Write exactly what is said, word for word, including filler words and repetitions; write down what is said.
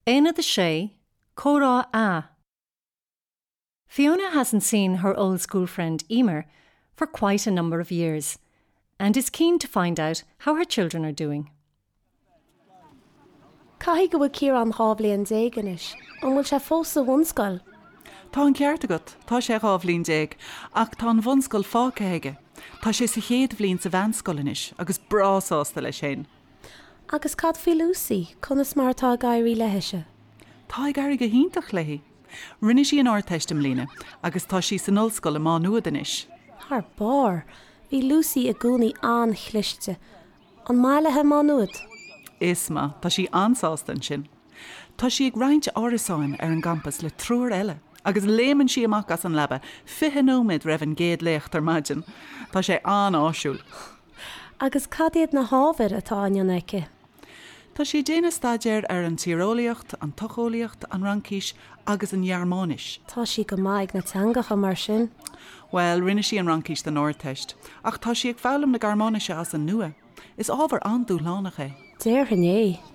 Aonad a sé, Comhrá A. Fiona hasn't seen her old school friend Emer for quite a number of years and is keen to find out how her children are doing. Caithfidh go bhfuil Ciarán dhá bhliain déag anois, an bhfuil sé fós sa bhunscoil. Tá an ceart agat, tá sé dhá bhliain déag, ach tá an bhunscoil fágtha aige. Tá sé sa chéad bhliain sa mheánscoil anois agus breá sásta leis sin. Agus cad faoi Lucy, conas mar atá ag éirí léise. Tá ag éirí go hiontach léi. Rinne sí an Ardteist i mbliana agus tá sí san ollscoil i Má Nuad anois. Thar barr, bhí Lucy i gcónaí an-chliste. An maith léi Má Nuad. Is maith, tá sí an-sásta ansin. Tá sí ag roinnt árasáin ar an gcampas le triúr eile, agus léimeann sí amach as an leaba fiche nóiméad roimh an gcéad léacht ar maidin. Tá sé an-áisiúil. Agus cad iad na hábhair atá á ndéanamh aici. Tá sí ag déanamh staidéir ar an tíreolaíocht, an tsocheolaíocht, an Fhraincis agus an Ghearmáinis. Tá sí go maith ag na teangacha mar sin. Well, rinne sí an Fhraincis don Ardteist, ach tá sí ag foghlaim na Gearmáinise as an nua. Is ábhar an-dúshlánach é. Déarfainn é.